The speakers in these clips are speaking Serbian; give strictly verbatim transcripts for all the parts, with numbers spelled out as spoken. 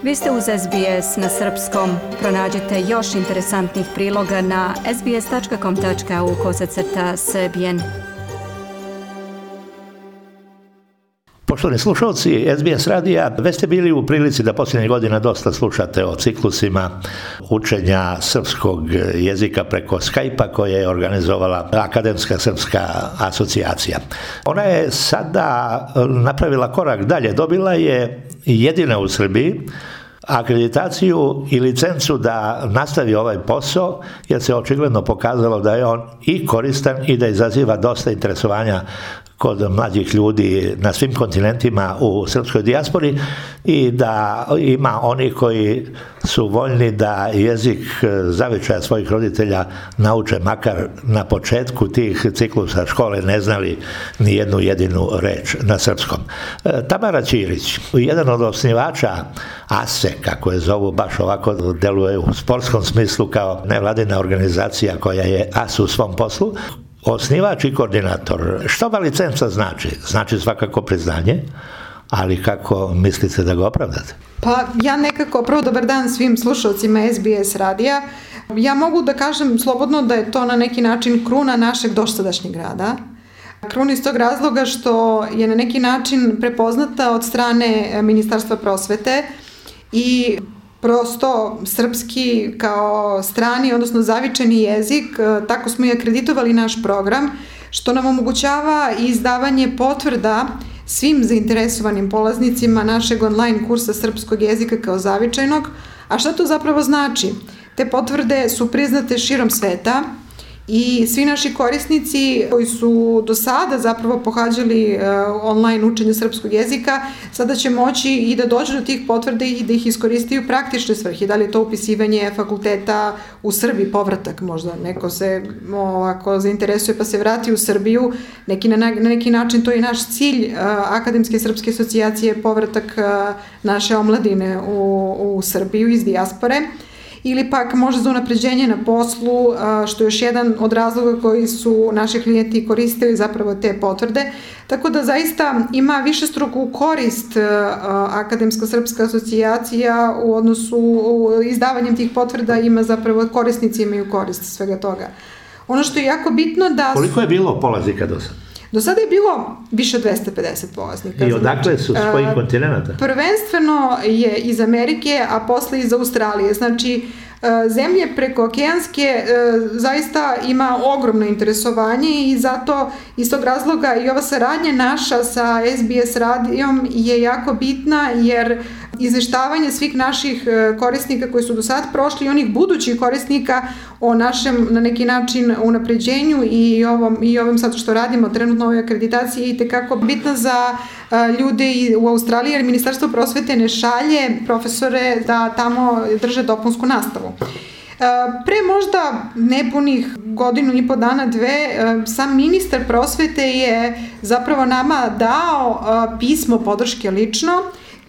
Vi ste uz S B S na srpskom. Pronađite još interesantnih priloga na sbs.com.au kosacrta srbijen. Poštovani slušalci S B S radija, već ste bili u prilici da posljednjih godina dosta slušate o ciklusima učenja srpskog jezika preko Skype-a koje je organizovala Akademska srpska asocijacija. Ona je sada napravila korak dalje, dobila je jedina u Srbiji akreditaciju i licencu da nastavi ovaj posao, jer se očigledno pokazalo da je on i koristan i da izaziva dosta interesovanja kod mlađih ljudi na svim kontinentima u srpskoj dijaspori i da ima oni koji su voljni da jezik zavičaja svojih roditelja nauče makar na početku tih ciklusa škole ne znali ni jednu jedinu reč na srpskom. Tamara Ćirić, jedan od osnivača A S E, kako je zovu, baš ovako deluje u sportskom smislu kao nevladina organizacija koja je as u svom poslu, osnivač i koordinator. Što ova licenca znači? Znači svakako priznanje, ali kako mislite da ga opravdate? Pa ja nekako, prvo dobar dan svim slušalcima S B S radija. Ja mogu da kažem slobodno da je to na neki način kruna našeg dosadašnjeg rada. Kruna iz tog razloga što je na neki način prepoznata od strane Ministarstva prosvete i prosto srpski kao strani, odnosno zavičajni jezik, tako smo i akreditovali naš program, što nam omogućava izdavanje potvrda svim zainteresovanim polaznicima našeg online kursa srpskog jezika kao zavičajnog. A šta to zapravo znači? Te potvrde su priznate širom sveta i svi naši korisnici koji su do sada zapravo pohađali uh, online učenje srpskog jezika, sada će moći i da dođu do tih potvrda i da ih iskoriste u praktične svrhe. Da li je to upisivanje fakulteta u Srbiji, povratak možda, neko se ovako zainteresuje pa se vrati u Srbiju, neki, na, na neki način to je naš cilj uh, Akademske srpske asocijacije, povratak uh, naše omladine u, u Srbiju iz dijaspore. Ili pak može za unapređenje na poslu, što je još jedan od razloga koji su naši klijenti koristili zapravo te potvrde. Tako da zaista ima višestruku korist Akademska srpska asocijacija u odnosu izdavanjem tih potvrda, ima zapravo korisnici imaju korist svega toga. Ono što je jako bitno da... Koliko je bilo polaznika do sada? Do sada je bilo više od dvesta pedeset polaznika. I odakle su, s kojih kontinenta? Prvenstveno je iz Amerike, a posle iz Australije. Znači, zemlje preko okeanske zaista ima ogromno interesovanje i zato iz tog razloga i ova saradnja naša sa S B S radijom je jako bitna, jer izveštavanje svih naših korisnika koji su do sad prošli i onih budućih korisnika o našem na neki način unapređenju i ovom, i ovom sad što radimo trenutno ovoj akreditaciji je itekako bitna za ljude u Australiji, jer Ministarstvo prosvete ne šalje profesore da tamo drže dopunsku nastavu. Pre možda nepunih godinu i po dana, dve, sam ministar prosvete je zapravo nama dao pismo podrške lično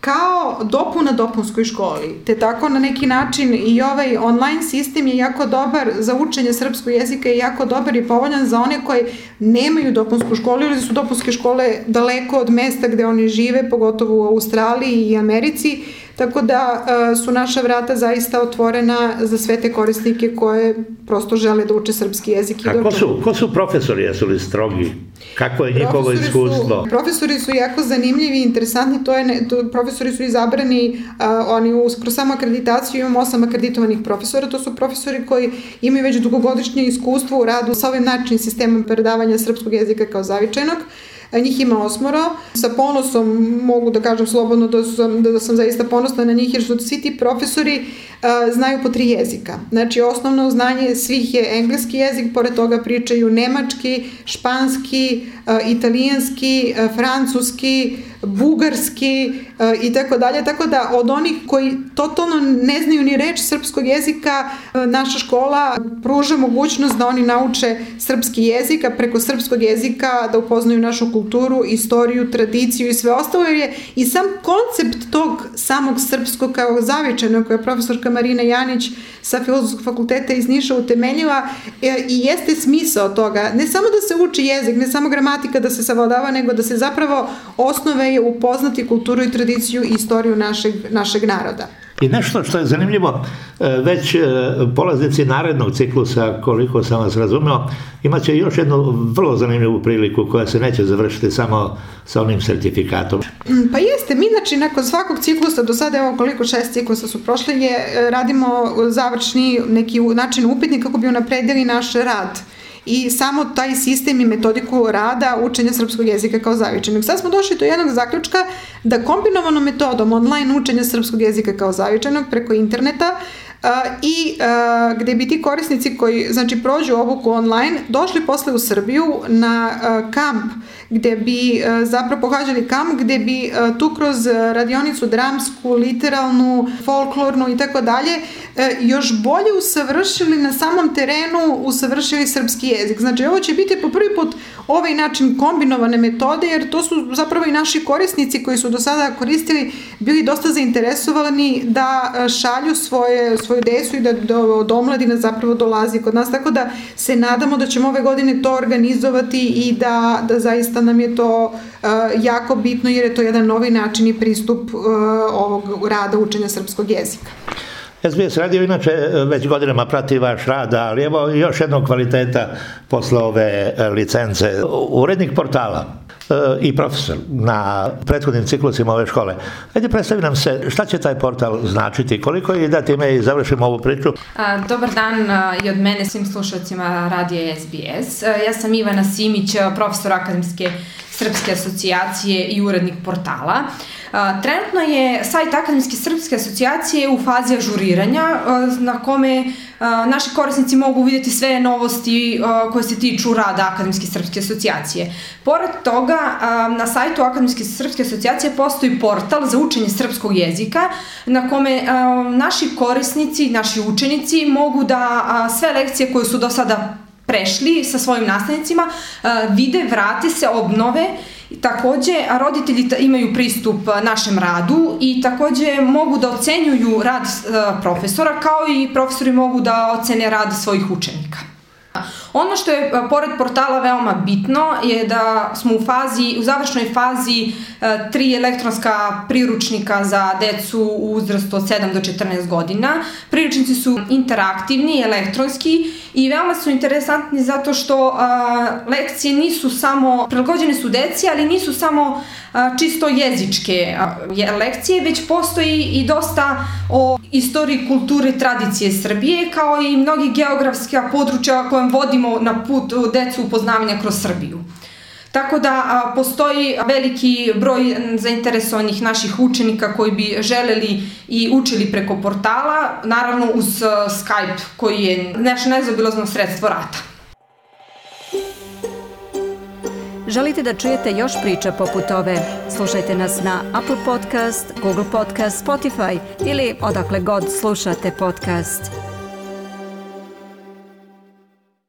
kao dopuna dopunskoj školi. Te tako na neki način i ovaj online sistem je jako dobar za učenje srpskog jezika i jako dobar i povoljan za one koji nemaju dopunsku školu ili su dopunske škole daleko od mesta gde oni žive, pogotovo u Australiji i Americi. Tako da su naša vrata zaista otvorena za sve te korisnike koje prosto žele da uče srpski jezik. A ko su, ko su profesori, jesu li strogi? Kako je njihovo profesori iskustvo? Su, profesori su jako zanimljivi i interesantni, to je ne, to, profesori su izabrani, a, oni uz, kroz samu akreditaciju imamo osam akreditovanih profesora, to su profesori koji imaju već dugogodišnje iskustvo u radu sa ovim način sistemom predavanja srpskog jezika kao zavičajnog. Njih ima osmoro. Sa ponosom mogu da kažem slobodno da sam, da sam zaista ponosna na njih, jer su svi ti profesori uh, znaju po tri jezika. Znači, osnovno znanje svih je engleski jezik, pored toga pričaju nemački, španski, uh, italijanski, uh, francuski, bugarski uh, i tako dalje. Tako da od onih koji totalno ne znaju ni reč srpskog jezika, uh, naša škola pruža mogućnost da oni nauče srpski jezik, a preko srpskog jezika da upoznaju našu kulturu kulturu, istoriju, tradiciju i sve ostalo, jer je i sam koncept tog samog srpskog kao zavičajnog, koje je profesorka Marina Janić sa Filozofskog fakulteta iz Niša utemeljila i jeste smisao toga. Ne samo da se uči jezik, ne samo gramatika da se savladava, nego da se zapravo osnove je upoznati kulturu i tradiciju i istoriju našeg, našeg naroda. I nešto što je zanimljivo, već polaznici narednog ciklusa, koliko sam vas razumeo, imat će još jednu vrlo zanimljivu priliku koja se neće završiti samo sa onim sertifikatom. Pa jeste, mi znači nakon svakog ciklusa, do sada evo koliko šest ciklusa su prošle, je, radimo završni neki način upitnik kako bi unapredili naš rad i samo taj sistem i metodiku rada učenja srpskog jezika kao zavičajnog. Sad smo došli do jednog zaključka da kombinovanom metodom online učenja srpskog jezika kao zavičajnog preko interneta Uh, i uh, gde bi ti korisnici koji znači prođu obuku online došli posle u Srbiju na uh, kamp gde bi uh, zapravo pohađali kamp gde bi uh, tu kroz radionicu dramsku, literalnu, folklornu i tako dalje još bolje usavršili na samom terenu, usavršili srpski jezik. Znači ovo će biti po prvi put ovaj način kombinovane metode, jer to su zapravo i naši korisnici koji su do sada koristili bili dosta zainteresovani da šalju svoje, svoju decu i da do, od omladine zapravo dolazi kod nas, tako da se nadamo da ćemo ove godine to organizovati i da, da zaista nam je to uh, jako bitno, jer je to jedan novi način i pristup uh, ovog rada učenja srpskog jezika. S B S radio inače već godinama prati vaš rad, ali evo još jednog kvaliteta posle ove licence. Urednik portala i profesor na prethodnim ciklusima ove škole. Ajde, predstavi nam se šta će taj portal značiti, koliko je da time i završimo ovu priču. Dobar dan i od mene svim slušalcima radija S B S. Ja sam Ivana Simić, profesor Akademske srpske asocijacije i urednik portala. Trenutno je sajt Akademske srpske asocijacije u fazi ažuriranja na kome naši korisnici mogu vidjeti sve novosti koje se tiču rada Akademske srpske asocijacije. Pored toga, na sajtu Akademske srpske asocijacije postoji portal za učenje srpskog jezika na kome naši korisnici, naši učenici mogu da sve lekcije koje su do sada prešli sa svojim nastavnicima vide, vrate se, obnove. Takođe, roditelji imaju pristup našem radu i takođe mogu da ocenjuju rad profesora, kao i profesori mogu da ocene rad svojih učenika. Ono što je pored portala veoma bitno je da smo u fazi, u završnoj fazi tri elektronska priručnika za decu u uzrastu od sedam do četrnaest godina. Priručnici su interaktivni, elektronski i veoma su interesantni zato što a, lekcije nisu samo, prilagođene su deci, ali nisu samo a, čisto jezičke a, lekcije, već postoji i dosta o istoriji, kulturi, tradicije Srbije, kao i mnogi geografska područja kojem vodimo na put decu upoznavanja kroz Srbiju. Tako da a, postoji veliki broj zainteresovanih naših učenika koji bi želeli i učili preko portala, naravno uz uh, Skype koji je naše nezaobilazno sredstvo rada. Želite da čujete još priča poput ove? Slušajte nas na Apple Podcast, Google Podcast, Spotify ili odakle god slušate podcast.